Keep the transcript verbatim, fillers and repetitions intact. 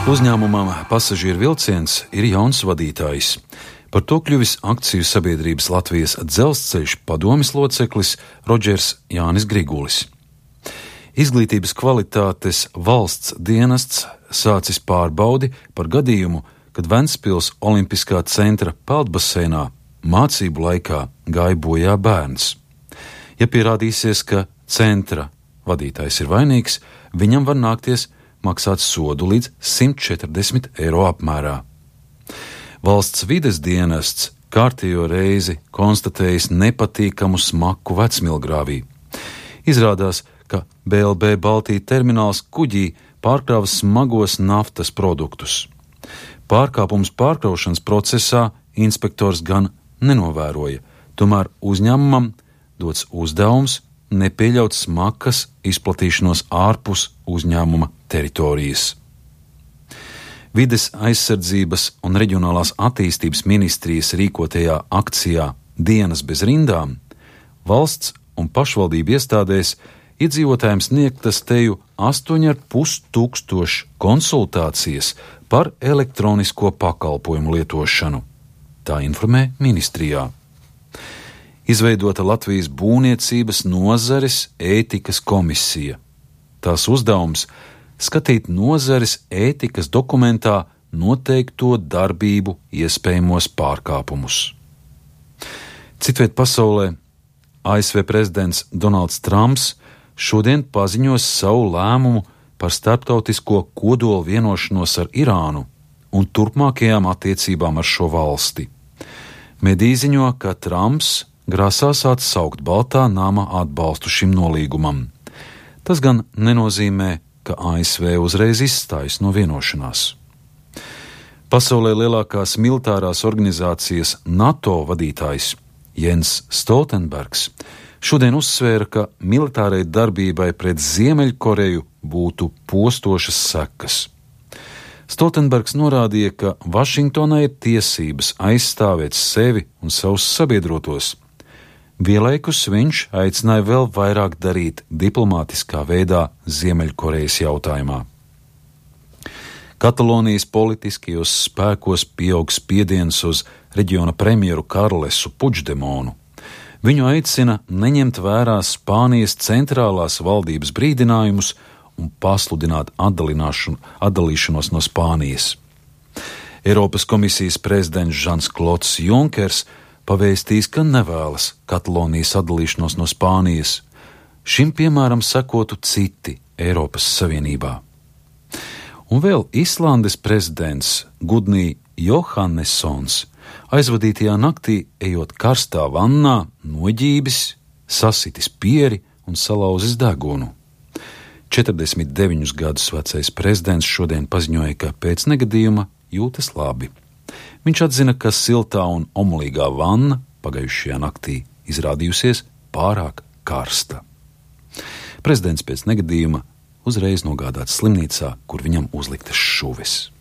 Uzņēmumam Pasažieru vilciens ir jauns vadītājs. Par to kļuvis akciju sabiedrības Latvijas dzelzceļš padomes loceklis Rodžers Jānis Grigulis. Izglītības kvalitātes valsts dienests sācis pārbaudi par gadījumu, kad Ventspils Olimpiskā centra peldbaseinā mācību laikā gāja bojā bērns. Ja pierādīsies, ka centra vadītājs ir vainīgs, viņam var nākties maksāt sodu līdz simt četrdesmit eiro apmērā. Valsts vides dienests kārtējo reizi konstatējis nepatīkamu smaku Vecmilgrāvī. Izrādās, ka B L B Baltija termināls kuģī pārkrāva smagos naftas produktus. Pārkāpums pārkraušanas procesā inspektors gan nenovēroja, tomēr uzņēmumam dots uzdevums nepieļaut smakas izplatīšanos ārpus uzņēmuma teritorijas. Vides aizsardzības un reģionālās attīstības ministrijas rīkotajā akcijā Dienas bez rindām valsts un pašvaldību iestādēs iedzīvotājiem sniegtas teju astoņi ar pus tūkstoši konsultācijas par elektronisko pakalpojumu lietošanu. Tā informē ministrijā. Izveidota Latvijas būvniecības nozares ētikas komisija. Tās uzdevums skatīt nozares ētikas dokumentā noteikto darbību iespējamos pārkāpumus. Citviet pasaulē A S V prezidents Donalds Trumps šodien paziņos savu lēmumu par starptautisko kodola vienošanos ar Irānu un turpmākajām attiecībām ar šo valsti. Mediji ziņo, ka Trumps grasās atsaukt Baltā nama atbalstu šim nolīgumam. Tas gan nenozīmē, ka A S V uzreiz izstājas no vienošanās. Pasaulē lielākās militārās organizācijas NATO vadītājs Jens Stoltenbergs šodien uzsvēra, ka militārai darbībai pret Ziemeļkoreju būtu postošas sekas. Stoltenbergs norādīja, ka Vašingtonai ir tiesības aizstāvēt sevi un savus sabiedrotos. Vienlaikus viņš aicināja vēl vairāk darīt diplomātiskā veidā Ziemeļkorejas jautājumā. Katalonijas politiskajos spēkos pieaug spiediens uz reģiona premjeru Karlesu Puigdemonu. Viņu aicina neņemt vērā Spānijas centrālās valdības brīdinājumus un pasludināt atdalīšanos no Spānijas. Eiropas komisijas prezidents Žans-Klods Junkers pavēstījis, ka nevēlas Katalonijas atdalīšanos no Spānijas. Šim piemēram sekotu citi Eiropas Savienībā. Un vēl Islandes prezidents Gudni Johannessons aizvadītajā naktī, ejot karstā vannā, noģībis, sasitis pieri un salauzis degunu. četrdesmit deviņus gadus vecais prezidents šodien paziņoja, ka pēc negadījuma jūtas labi. Viņš atzina, ka siltā un omulīgā vanna pagājušajā naktī izrādījusies pārāk karsta. Prezidents pēc negadījuma uzreiz nogādāts slimnīcā, kur viņam uzliktas šuves.